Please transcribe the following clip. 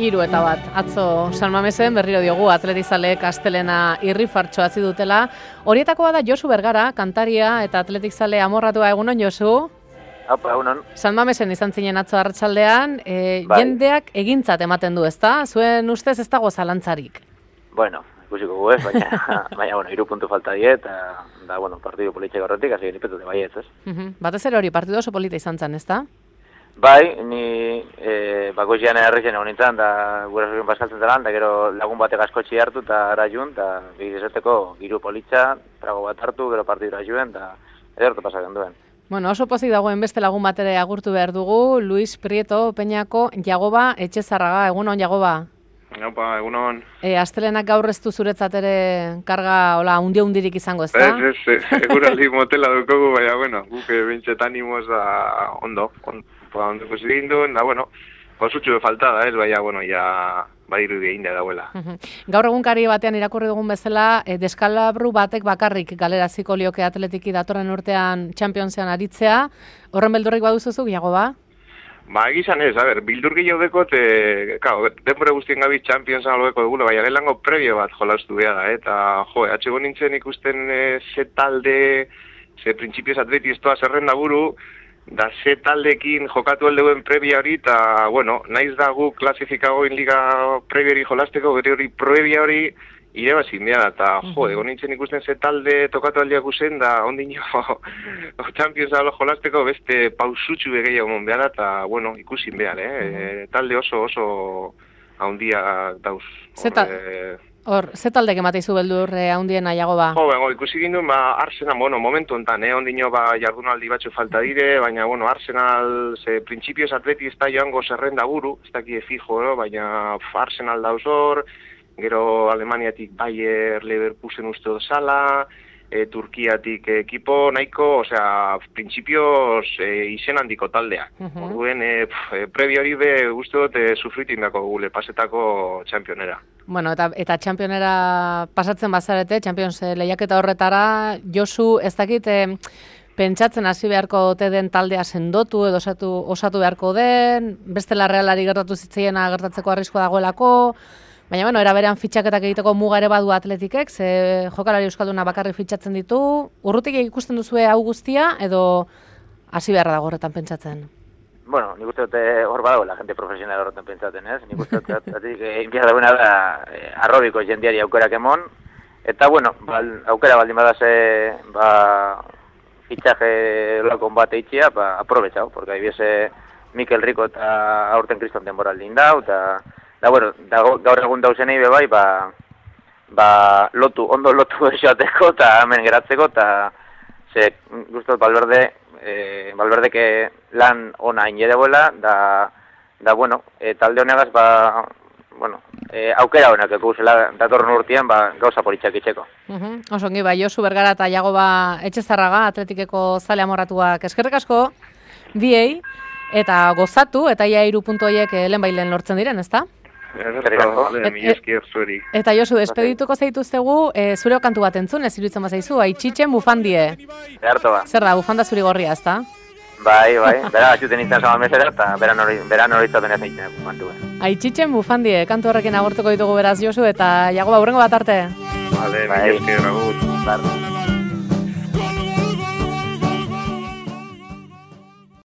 3-1, atzo San Mamesen berriro diogu atletizaleek astelena irrifartxo atzi dutela. Horietakoa da Josu Bergara, kantaria eta atletizale amorratua. Egunon, Josu? Apa, egunon. San Mamesen izan zinen atzo arratsaldean, jendeak egintzat ematen du, ezta? Zuen ustez ez dago zalantzarik? Bueno, ikusiko gu ez, baina 3 puntu falta die, eta partidu politxek horretik, hasi genipetute baietz, ez? Batez ere hori, partidu oso polita izan zen, ezta? Bai, ni bakoitzean errezen egon nintzen, da gurasokin paskaltzen zelan, da gero lagun batek askotxi hartu, eta ara jun, eta egizateko giru politxa, trago bat hartu, gero partidura juen, eta edertu pasaken duen. Bueno, oso pozik dagoen beste lagun batere agurtu behar dugu, Luis Prieto Peñako Jagoba Etxezarraga. Egunon, Jagoba? Opa, egunon. Astelenak gaur ez du zuretzat ere karga hundirik izango, ez da? Ez, eguraldi motela dukogu, baina, guk bintxet animoz da ondo ikusi ginduen, da, posutxu falta da, ez, baina, ja badiru egin da dauela. Gaur egunkari batean irakurri dugun bezala, deskalabru batek bakarrik galeraziko lioke atletiki datorren urtean Championsean aritzea, horren beldurrik baduzuzuk, Jagoba? Egizan ez, bildur gehiago dekot, denbora guztien gabi Championsan alobeko dugula, baina gelango prebio bat jolaztu behar da, eta atxego nintzen ikusten ze talde, ze printzipioz atleti ez toa zerrenda buru, da ze taldekin jokatu aldeuen prebia hori, eta, naiz da gu klasifikagoin liga prebia hori jolazteko, gero hori prebia hori, irebazin behar, eta egon nintzen ikusten ze talde tokatu aldeak usen, da ondino Champions alo jolazteko beste pausutxu gehiago mon behar, eta ikusin behar, talde oso haundia dauz. Ze talde kemateizu beldur haundiena, Jagoba? Ikusi ginduen, Arsenal, momentu enten, ondino jardunaldi batzu falta dire, baina, Arsenal, ze printzipioz atleti ez da joango zerrenda buru, ez dakie fijo, baina Arsenal dauz hor, gero Alemaniatik Bayer Leverkusen uste dozala, Turkiatik ekipo nahiko, printzipioz izen handiko taldea. Orduen, prebio hori uste dut sufritin dako gule pasetako txampionera. Eta txampionera pasatzen bazarete, Champions lehiaketa horretara, Josu, ez dakit, pentsatzen hasi beharko ote den taldea sendotu edo osatu beharko den, bestela Realari gertatu zitzaiena gertatzeko arriskoa dagoelako, baina, eraberean fitxaketak egiteko muga ere badu atletikek, ze jokalari euskalduna bakarrik fitxatzen ditu, urrutik ikusten duzue hau guztia, edo hasi beharra dago horretan pentsatzen? Nik uste dute hor badagoela jente profesional horretan pentsatzen, ez? Nik uste dute inbiar dagoena da arrobiko jendiari aukerak emon, eta, aukera baldin badase, fitxaje lakon bat eitxia, aprobetxau, porque haibiese Mikel Rico eta aurten Kriston denbora aldin dau, eta gaur egun dauzenei bebai, ondo lotu esoateko eta hemen geratzeko, eta ze guztot Valverdeke lan ona inedeboela, talde honegaz, aukera honak ekuzela datorren urtean, gauza politxak itxeko. Oso ongi, Josu Bergara eta Jagoba Etxezarraga, atletikeko zale amorratuak eskerrik asko, biei, eta gozatu, eta ia 3 puntu horiek lehen lortzen diren, ezta? Eta Josu, despedituko zaituztegu, zure kantu bat entzun, ez iruditzen bazaizu, Aitzitzen bufandie. Zer da, bufanda zuri gorria, ez da? Bai, bera atxuten izan zaman mesera, eta beran hori izaten ez egiten bufandue. Aitzitzen bufandie, kantu horrekin agortuko ditugu beraz, Josu, eta Jagoba, hurrengo bat arte. Vale, mi esker, agur.